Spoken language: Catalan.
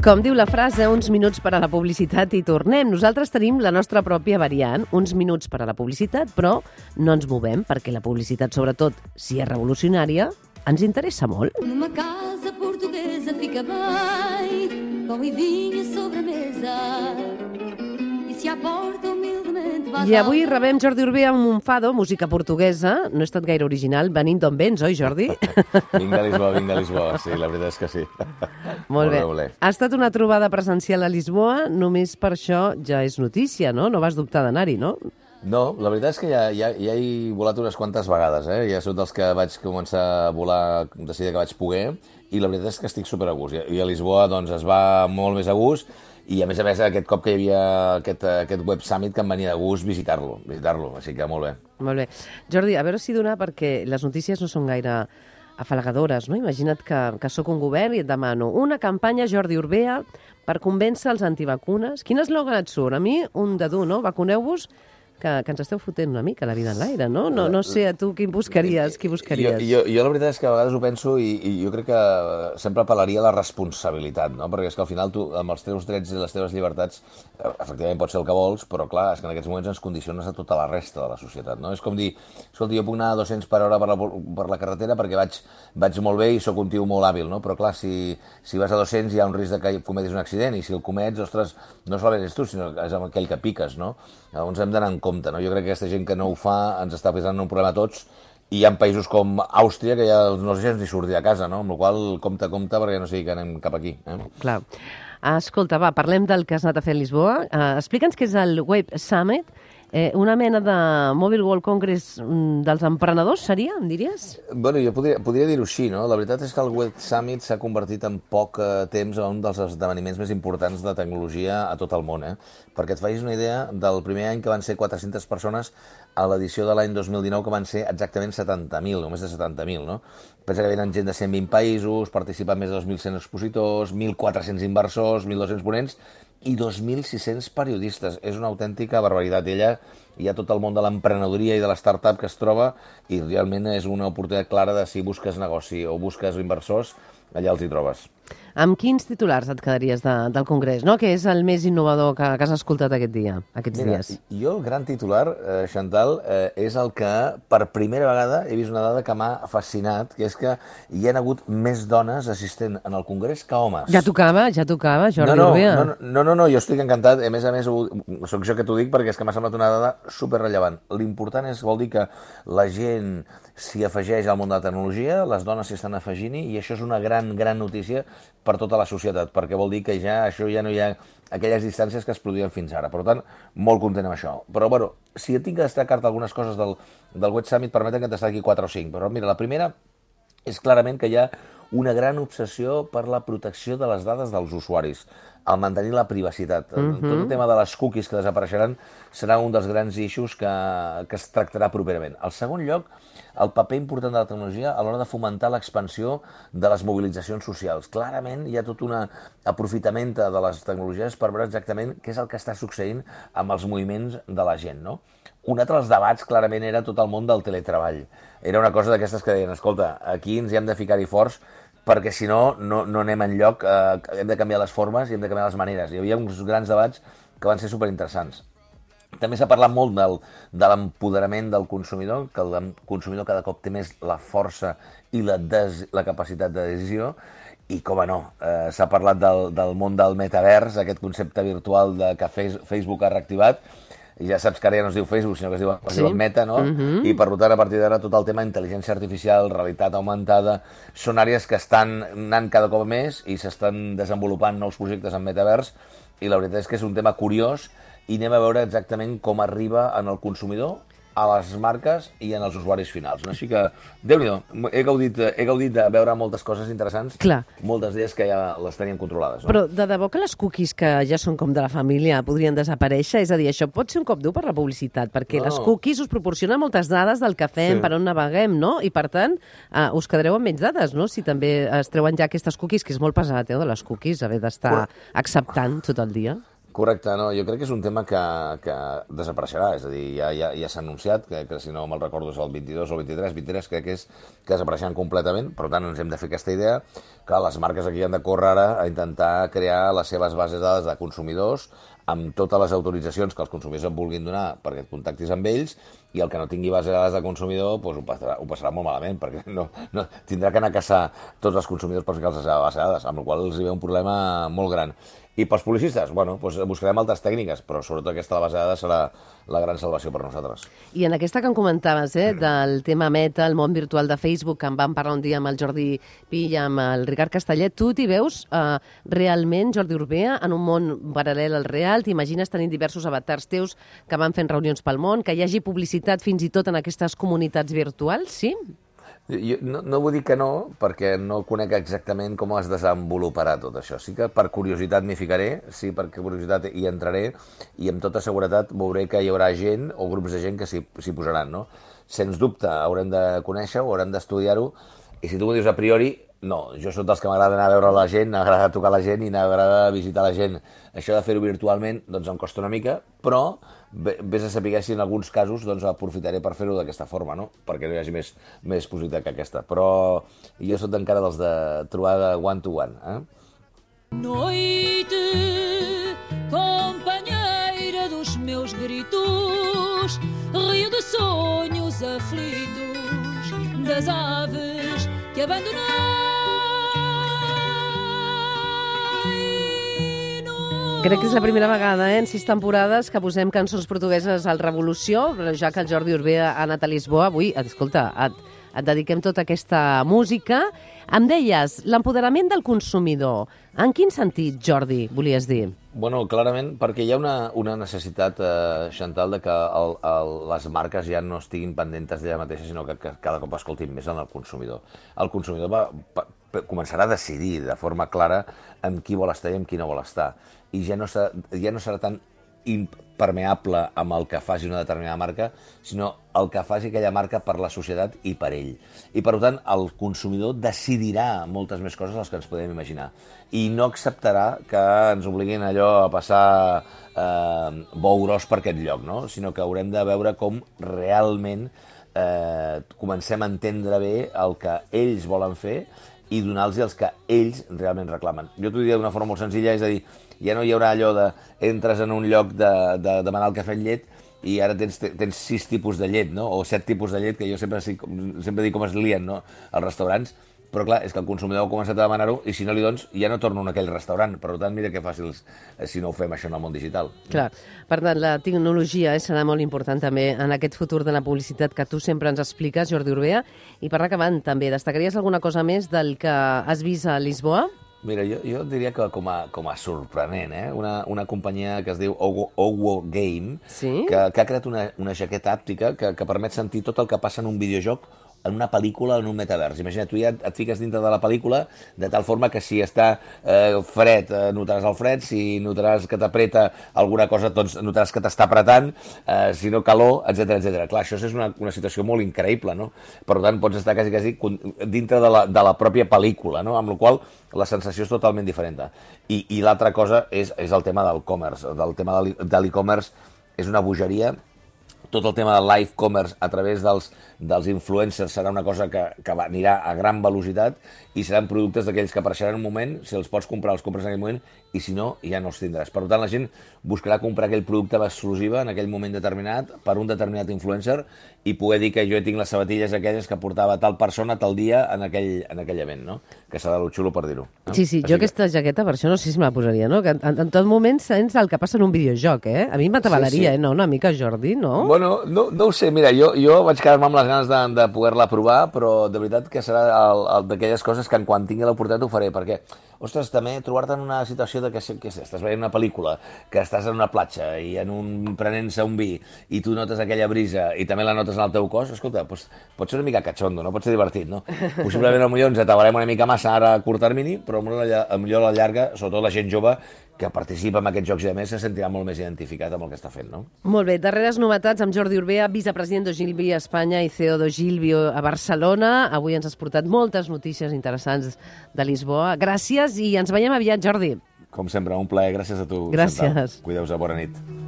Com diu la frase, uns minuts per a la publicitat i tornem. Nosaltres tenim la nostra pròpia variant, uns minuts per a la publicitat, però no ens movem perquè la publicitat, sobretot si és revolucionària, ens interessa molt. Numa casa portuguesa fica bem, pão e vinho sobre a mesa. E se a porta humildemente vas I avui rebem Jordi Urbé amb Monfado, música portuguesa. No he estat gaire original, venint d'on vens, oi, Jordi? Vinc de Lisboa, sí, la veritat és que sí. Molt bé. Molt bé. Ha estat una trobada presencial a Lisboa, només per això ja és notícia, no? No vas dubtar d'anar-hi, no? No, la veritat és que ja he volat unes quantes vegades, eh? Ja soc dels que vaig començar a volar de seguida que vaig poder, i la veritat és que estic super a gust. I a Lisboa doncs, es va molt més a gust, i a més aquest cop que hi havia aquest Web Summit que em venia de gust visitar-lo, així que molt bé. Molt bé. Jordi, a veure si dona, perquè les notícies no són gaire afalagadores, no? Imagina't que sóc un govern i et demano una campanya Jordi Urbea per convèncer els antivacunes. Quin eslògan et surt? A mi, un de dur, no? Vacuneu-vos, que ens esteu fotent una mica la vida en l'aire, no? No sé, a tu qui buscaries? Jo la veritat és que a vegades ho penso i jo crec que sempre apel·laria a la responsabilitat, no? Perquè és que al final tu, amb els teus drets i les teves llibertats, efectivament pots ser el que vols, però clar, és que en aquests moments ens condiciones a tota la resta de la societat, no? És com dir, escolta, jo puc anar a 200 per hora per la carretera perquè vaig molt bé i sóc un tio molt hàbil, no? Però clar, si vas a 200 hi ha un risc de que cometis un accident, i si el comets, ostres, no solament ets tu, sinó que és amb aquell que piques, no? Llavors hem d'anar en compte, no? Jo crec que aquesta gent que no ho fa ens està posant un problema a tots, i hi ha països com Àustria que ja no els deixen ni sortir a casa, no? Amb la qual cosa, compte, perquè no sigui que anem cap aquí. Clar. Escolta, va, parlem del que has anat a fer a Lisboa. Explica'ns què és el Web Summit. Una mena de Mobile World Congress dels emprenedors, seria, em diries? Bueno, jo podria dir-ho així, no? La veritat és que el Web Summit s'ha convertit en poc temps en un dels esdeveniments més importants de tecnologia a tot el món, eh? Perquè et facis una idea, del primer any que van ser 400 persones, a l'edició de l'any 2019 que van ser exactament 70.000, o més de 70.000, no? Pensa que venen gent de 120 països, participen més de 2.100 expositors, 1.400 inversors, 1.200 ponents, i 2.600 periodistes. És una autèntica barbaritat. Ella hi ha tot el món de l'emprenedoria i de l'startup que es troba, i realment és una oportunitat clara de si busques negoci o busques inversors, allà els hi trobes. Amb quins titulars et quedaries del Congrés, no? Que és el més innovador que has escoltat aquests dies? Jo el gran titular, Chantal, és el que per primera vegada he vist una dada que m'ha fascinat, que és que hi ha hagut més dones assistent en el Congrés que homes. Ja tocava, Jordi Urbea. No, jo estic encantat. A més, soc jo que t'ho dic perquè és que m'ha semblat una dada superrellevant. L'important vol dir que la gent s'hi afegeix al món de la tecnologia, les dones s'hi estan afegint-hi, i això és una gran notícia per tota la societat, perquè vol dir que ja no hi ha aquelles distàncies que es produïen fins ara. Per tant, molt content amb això. Però, bueno, si tinc que destacar-te algunes coses del Web Summit, permeten que et destaqui 4 o 5. Però, mira, la primera és clarament que hi ha una gran obsessió per la protecció de les dades dels usuaris, al mantenir la privacitat. Tot el tema de les cookies que desapareixeran serà un dels grans issues que es tractarà properament. Al segon lloc, el paper important de la tecnologia a l'hora de fomentar l'expansió de les mobilitzacions socials. Clarament hi ha tot un aprofitament de les tecnologies per veure exactament què és el que està succeint amb els moviments de la gent, no? Un altre dels debats, clarament, era tot el món del teletreball. Era una cosa d'aquestes que deien, escolta, aquí ens hi hem de ficar-hi forts, perquè si no anem enlloc, hem de canviar les formes i hem de canviar les maneres. Hi havia uns grans debats que van ser superinteressants. També s'ha parlat molt de l'empoderament del consumidor, que el consumidor cada cop té més la força i la capacitat de decisió, i com no, s'ha parlat del món del metavers, aquest concepte virtual que Facebook ha reactivat. Ja saps que ara ja no es diu Facebook, sinó que es diu Meta, no? I per tant, a partir d'ara, tot el tema intel·ligència artificial, realitat augmentada, són àrees que estan anant cada cop més i s'estan desenvolupant nous projectes en metavers, i la veritat és que és un tema curiós, i anem a veure exactament com arriba en el consumidor, a les marques i en els usuaris finals. Així que, Déu-n'hi-do, he gaudit de veure moltes coses interessants, moltes d'elles que ja les teníem controlades. Però de debò que les cookies, que ja són com de la família, podrien desaparèixer? És a dir, això pot ser un cop dur per la publicitat, perquè les cookies us proporcionen moltes dades del que fem, per on naveguem, no? I, per tant, us quedareu amb menys dades, no? Si també es treuen ja aquestes cookies, que és molt pesat, de les cookies, haver d'estar acceptant tot el dia. Correcte, no, jo crec que és un tema que desapareixerà, és a dir, ja s'ha anunciat, que si no me'l recordo és el 22 o el 23 crec que és que desapareixeran completament, per tant ens hem de fer aquesta idea que les marques aquí han de córrer ara a intentar crear les seves bases de dades de consumidors amb totes les autoritzacions que els consumidors et vulguin donar perquè et contactis amb ells, i el que no tingui base de dades de consumidor doncs ho passarà molt malament, perquè no tindrà que anar a caçar tots els consumidors per ficar-los a la seva base de dades, amb la qual cosa els hi ve un problema molt gran. I pels publicistes, bueno, doncs buscarem altres tècniques, però sobretot aquesta de la base de dades serà la gran salvació per nosaltres. I en aquesta que em comentaves, del tema Meta, el món virtual de Facebook, que en vam parlar un dia amb el Jordi Pi i amb el Ricard Castellet, tu t'hi veus realment, Jordi Urbea, en un món paral·lel al real? T'imagines tenint diversos avatars teus que van fent reunions pel món, que hi hagi publicitat fins i tot en aquestes comunitats virtuals, sí? Jo no vull dir que no, perquè no conec exactament com es desenvoluparà tot això. Sí que per curiositat m'hi ficaré, sí, per curiositat hi entraré, i amb tota seguretat veuré que hi haurà gent o grups de gent que s'hi posaran, no? Sens dubte, haurem de conèixer-ho, haurem d'estudiar-ho, i si tu m'ho dius a priori, no, jo soc dels que m'agrada anar a veure la gent, m'agrada tocar la gent i m'agrada visitar la gent. Això de fer-ho virtualment, doncs em costa una mica, però vés a saber si en alguns casos doncs, aprofitaré per fer-ho d'aquesta forma, no? Perquè no hi hagi més possibilitat que aquesta. Però jo soc encara dels de trobar de one-to-one. Noite, companheira dos meus gritos, rio de sonhos aflitos, das aves que abandonei. Crec que és la primera vegada, en 6 temporades, que posem cançons portugueses al Revolució, però ja que el Jordi Urbea ha anat a Lisboa, avui, escolta, et dediquem tota aquesta música. Em deies, l'empoderament del consumidor. En quin sentit, Jordi, volies dir? Bueno, clarament, perquè hi ha una necessitat, Chantal, de que les marques ja no estiguin pendentes d'ella mateixa, sinó que cada cop escoltin més en el consumidor. El consumidor començarà a decidir de forma clara amb qui vol estar i amb qui no vol estar. I ja no serà tan impermeable amb el que faci una determinada marca, sinó el que faci aquella marca per la societat i per ell. I, per tant, el consumidor decidirà moltes més coses les que ens podem imaginar. I no acceptarà que ens obliguin allò a passar bou gros per aquest lloc, no? Sinó que haurem de veure com realment comencem a entendre bé el que ells volen fer i donar-los els que ells realment reclamen. Jo t'ho diria d'una forma molt senzilla, és a dir, ja no hi haurà allò de entres en un lloc de demanar el cafè amb llet i ara tens 6 tipus de llet, no? O 7 tipus de llet, que jo sempre dic com es lien, no? als restaurants, però clar, és que el consumidor ha començat a demanar-ho i si no li dones, ja no torno a aquell restaurant. Per tant, mira que fàcils si no ho fem això en el món digital. Clar, per tant, la tecnologia serà molt important també en aquest futur de la publicitat que tu sempre ens expliques, Jordi Urbea. I per acabant, també, destacaries alguna cosa més del que has vist a Lisboa? Mira, jo diria que com a sorprenent, una companyia que es diu Owo Game, sí? que ha creat una jaqueta àptica que permet sentir tot el que passa en un videojoc en una pel·lícula o en un metavers. Imagina't, tu ja et fiques dintre de la pel·lícula de tal forma que si està fred, notaràs el fred, si notaràs que t'apreta alguna cosa, doncs notaràs que t'està apretant, si no calor, etc. Clar, això és una situació molt increïble, no? Per tant, pots estar quasi dintre de la pròpia pel·lícula, no? Amb la qual la sensació és totalment diferent. I l'altra cosa és el tema del commerce. El tema de l'e-commerce és una bogeria. Tot el tema del live commerce a través dels influencers serà una cosa que anirà a gran velocitat i seran productes d'aquells que apareixeran en un moment, si els pots comprar, els compres en aquell moment, i si no, ja no els tindràs. Per tant, la gent buscarà comprar aquell producte exclusiva en aquell moment determinat per un determinat influencer i poder dir que jo tinc les sabatilles aquelles que portava tal persona tal dia en aquell event, no? Que serà lo xulo per dir-ho. No? Sí, jo aquesta jaqueta per això no sé si me la posaria, no? Que en tot moment sents el que passa en un videojoc, eh? A mi m'atabalaria, no? Una mica, Jordi, no? Bueno, no ho sé, mira, jo vaig quedar-me amb les ganes de poder-la provar, però de veritat que serà d'aquelles coses que quan tingui l'oportunitat ho faré, perquè, ostres, també trobar-te en una situació de que estàs veient una pel·lícula, que estàs en una platja i prenent-se un vi i tu notes aquella brisa i també la notes en el teu cos, escolta, doncs, pot ser una mica catxondo, no? Pot ser divertit, no? Possiblement potser ens atabalem una mica massa ara a curt termini, però millor a la llarga, sobretot la gent jove que participa en aquests jocs i a més se sentirà molt més identificat amb el que està fent, no? Molt bé, darreres novetats amb Jordi Urbea, vicepresident d'Ogilvy a Espanya i CEO d'Ogilvy a Barcelona. Avui ens has portat moltes notícies interessants de Lisboa. Gràcies i ens veiem aviat, Jordi. Com sempre, un plaer. Gràcies a tu, Gràcies. Chantal. Cuideu-vos, bona nit.